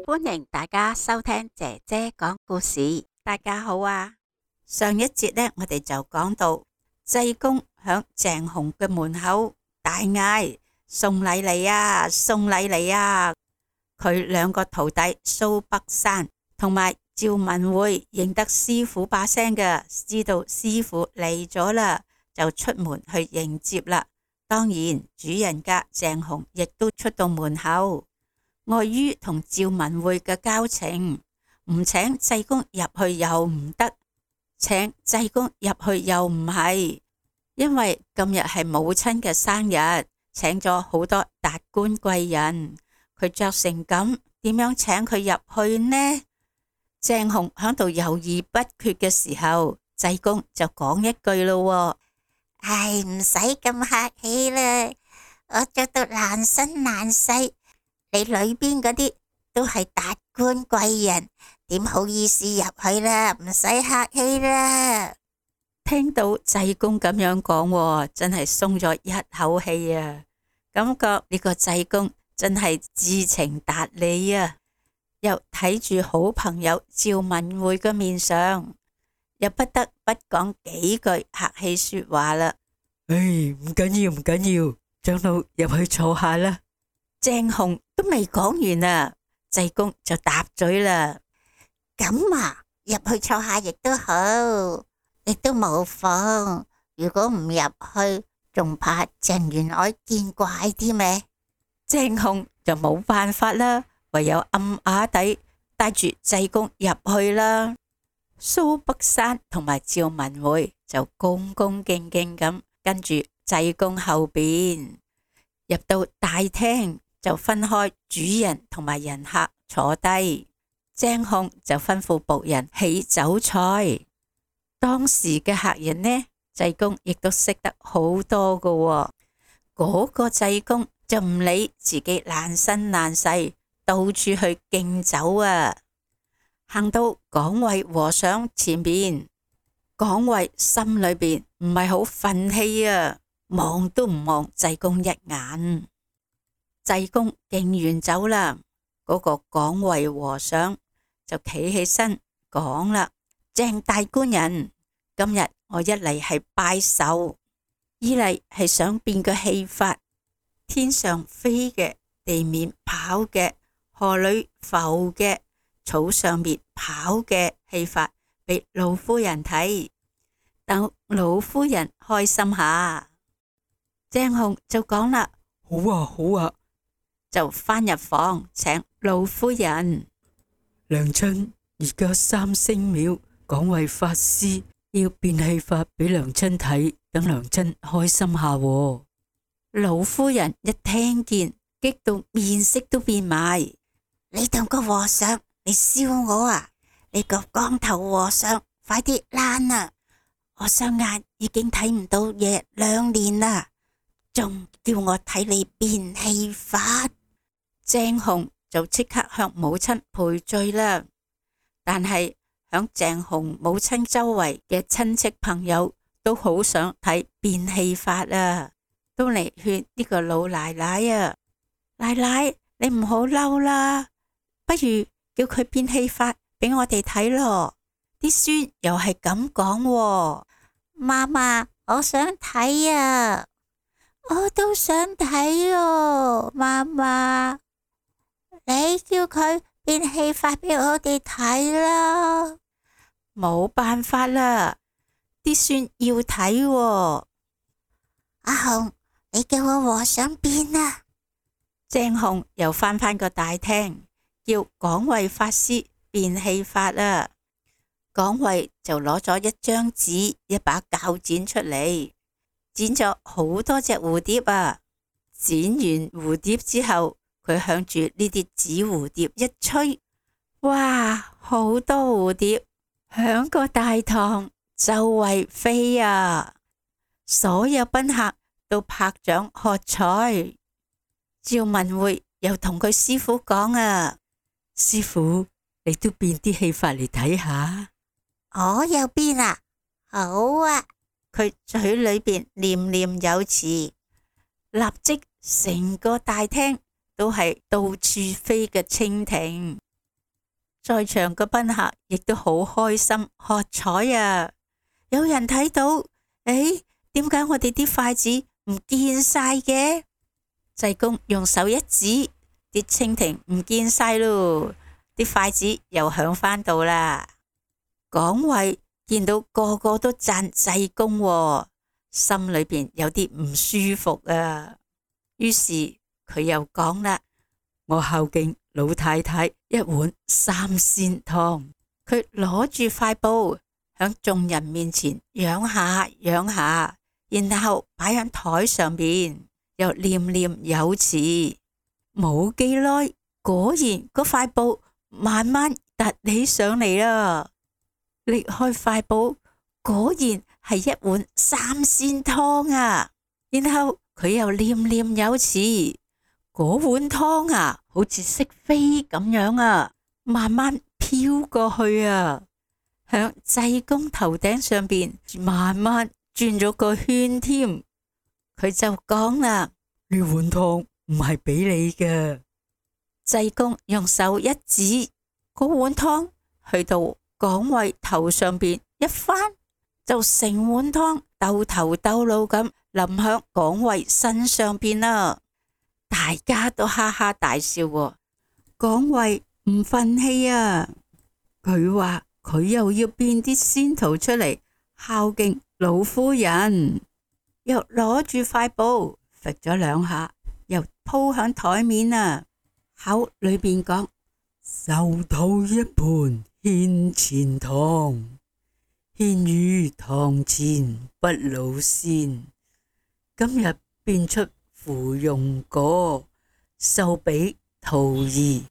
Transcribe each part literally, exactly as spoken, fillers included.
歡迎大家收聽姐姐講故事。大家好啊！上一節呢，我哋就講到濟公響鄭雄嘅門口大嗌：送禮嚟啊，送禮嚟啊！佢兩個徒弟蘇北山同埋趙文會認得師傅把聲嘅，知道師傅嚟咗啦，就出門去迎接啦。當然，主人家鄭雄亦都出到門口。礙於同趙文會嘅交情，唔請濟公入去又唔得，請濟公入去又唔係，因為今日係母親嘅生日，請咗好多達官貴人，佢着成咁，點樣請佢入去呢？鄭雄響度猶豫不決嘅時候，濟公就講一句咯：唉，唔使咁客氣啦，我着到爛身爛世，你裏邊嗰啲都係達官貴人，點好意思入去啦？唔使客氣啦。聽到濟公咁樣講，真係鬆咗一口氣啊！感覺呢個濟公真係知情達理啊！又睇住好朋友趙文會嘅面上，又不得不講幾句客氣說話啦。唉，唔緊要唔緊要，長老入去坐下啦。鄭雄都未講完啊，濟公就答嘴啦。咁啊，入去坐下亦都好，亦都冇妨。如果唔入去，仲怕鄭員外見怪啲咩？鄭雄就冇辦法啦，唯有暗啞底帶住濟公入去啦。蘇北山同埋趙文會就恭恭敬敬咁跟住濟公後邊入到大廳，就分開主人同埋人客坐低。鄭雄就吩咐僕人起酒菜。當時嘅客人呢，濟公亦都識得好多噶喎。嗰個濟公就唔理自己爛身爛世，到處去敬酒啊。行到廣惠和尚前面，廣惠心裏邊唔係好忿氣啊，望都唔望濟公一眼。濟公敬完酒啦，嗰個廣惠和尚就企起身講啦：鄭大官人，今日我一嚟係拜壽，二嚟係想變個戲法，天上飛嘅，地面跑嘅，河裏浮嘅，草上面跑嘅戲法俾老夫人睇，等老夫人開心下。鄭雄就講啦：好啊好啊，就返入房請老夫人。娘親，而家三星廟廣惠法師要變戲法俾娘親睇，等娘親開心下喎。老夫人一聽見，激到面色都變埋。你同個和尚，你笑我啊？你個光頭和尚，快啲躝啊！我雙眼已經睇唔到嘢兩年啦，仲叫我睇你變戲法。鄭雄就即刻向母親賠罪啦。但係響鄭雄母親周圍嘅親戚朋友都好想睇變戲法啊，都嚟勸呢個老奶奶啊：奶奶，你唔好嬲啦，不如叫佢變戲法俾我哋睇咯。啲孫又係咁講：媽媽，我想睇啊，我都想睇哦，媽媽。你叫佢變戲法俾我哋睇啦。冇辦法啦，啲孫要睇喎。阿雄，你叫我和尚變啊。鄭雄又返返個大廳，叫廣惠法師變戲法啦。廣惠就攞咗一張紙、一把鉸剪出嚟，剪咗好多隻蝴蝶啊。剪完蝴蝶之後，佢向住呢啲紙蝴蝶一吹，哇，好多蝴蝶響個大堂周圍飛啊！所有賓客都拍掌喝彩。趙文會又同佢師傅講啊：師傅，你都變啲戲法嚟睇下。我又變啊？好啊！佢嘴裏邊念念有詞，立即成個大廳都係到處飛嘅蜻蜓。在場嘅賓客亦都好開心喝彩啊！有人睇到，誒，點解我哋啲筷子唔見晒嘅？濟公用手一指，啲蜻蜓唔見晒咯，啲筷子又響返度啦。廣慧見到個個都讚濟公喎，心裏邊有啲唔舒服啊。於是佢又講啦：我孝敬老太太一碗三鮮湯。佢攞住塊布響眾人面前仰下仰下，然後擺喺台上邊，又念念有詞。冇幾耐，果然嗰塊布慢慢凸起上嚟啦。拎開塊布，果然係一碗三鮮湯啊！然後佢又念念有詞，嗰碗湯啊，好似識飛咁樣啊，慢慢飄過去啊，響濟公頭頂上邊慢慢轉咗個圈添。佢就講啦：呢碗湯唔係俾你嘅。濟公用手一指，嗰碗湯去到廣慧頭上邊一翻，就成碗湯兜頭兜腦咁淋響廣慧身上邊啦。大家都哈哈大笑喎。廣慧唔忿氣啊，佢話佢又要變啲仙桃出嚟孝敬老夫人，又攞住塊布揈咗兩下，又鋪響台面啊，口裏邊講：壽桃一盤獻前堂，獻於堂前不老仙。今日變出芙蓉果，壽比桃兒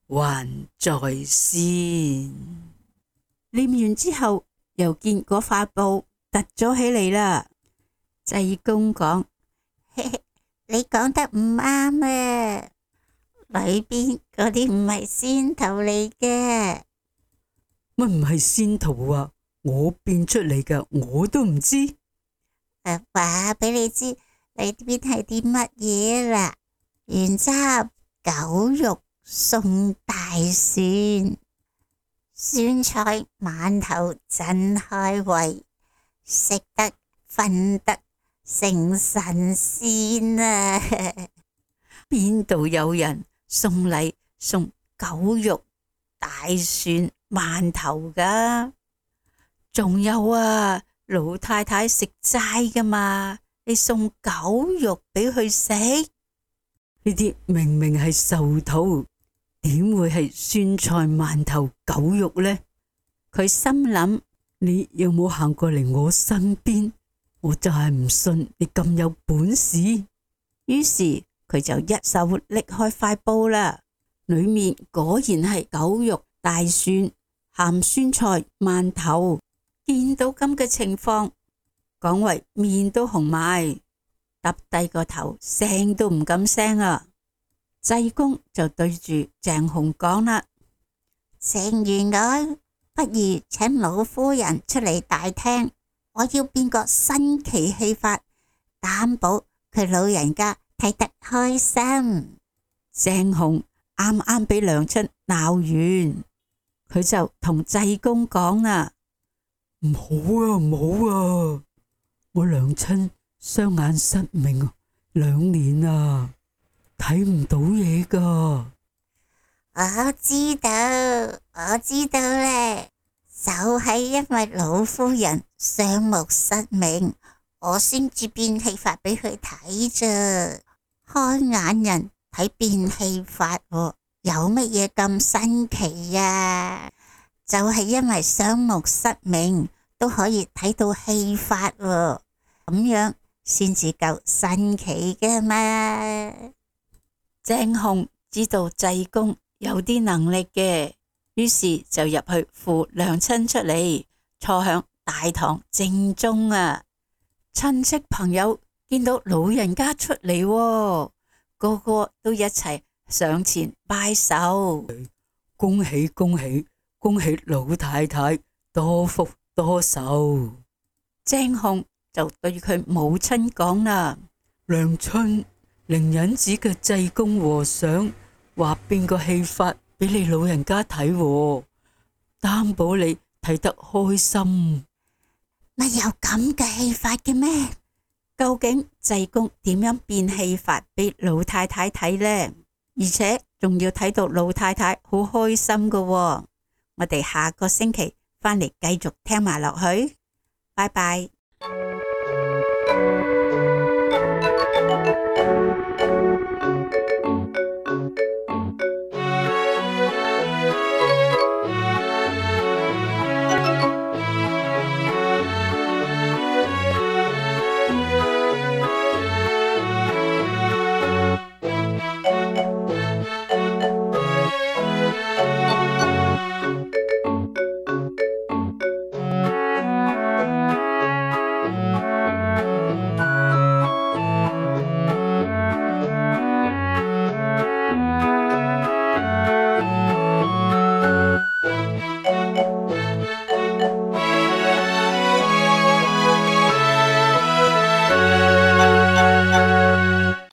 還在先。念完之後，又見嗰塊布凸咗起嚟啦。濟公講：你講得唔啱啊，裏邊嗰啲唔係仙桃嚟嘅。乜唔係仙桃啊？我變出嚟㗎，我都唔知。誒，話俾你知，裏邊係啲乜嘢啦？原汁狗肉送大蒜，酸菜饅頭真開胃，食得瞓得成神仙啊！邊度有人送禮送狗肉大蒜饅頭噶？仲有啊，老太太食齋噶嘛，你送狗肉俾佢食？呢啲明明係壽桃，點會係酸菜饅頭狗肉呢？佢心諗：你有冇行過嚟我身邊？我就係唔信你咁有本事。於是佢就一手拎開塊布啦，裏面果然係狗肉大蒜鹹酸菜饅頭。見到咁嘅情況，廣慧面都紅埋，耷低個頭，聲都唔敢聲啊。濟公就對住鄭紅講啦：正如我，不如請老夫人出嚟大廳，我要變個新奇戲法，擔保佢老人家睇得開心。鄭紅啱啱俾娘親鬧完，佢就同濟公講啦：唔好啊，唔好啊！我娘親雙眼失明兩年啊，睇唔到嘢噶。我知道，我知道咧，就係因為老夫人雙目失明，我先至變戲法俾佢睇啫。開眼人睇變戲法，有乜嘢咁新奇啊？就係因為雙目失明都可以睇到戲法，咁樣先至夠新奇嘅嘛。鄭紅知道濟公有啲能力嘅，於是就入去扶娘親出嚟，坐響大堂正中啊。親戚朋友見到老人家出嚟，個個都一齊上前拜手，恭喜恭喜恭喜老太太多福多壽。鄭紅就對佢母親講啦：娘親，靈隱寺嘅濟公和尚話變個戲法俾你老人家睇喎，擔保你睇得開心。乜有咁嘅戲法嘅咩？究竟濟公點樣變戲法俾老太太睇呢？而且仲要睇到老太太好開心㗎喎。我哋下個星期返嚟繼續聽埋落去。拜拜。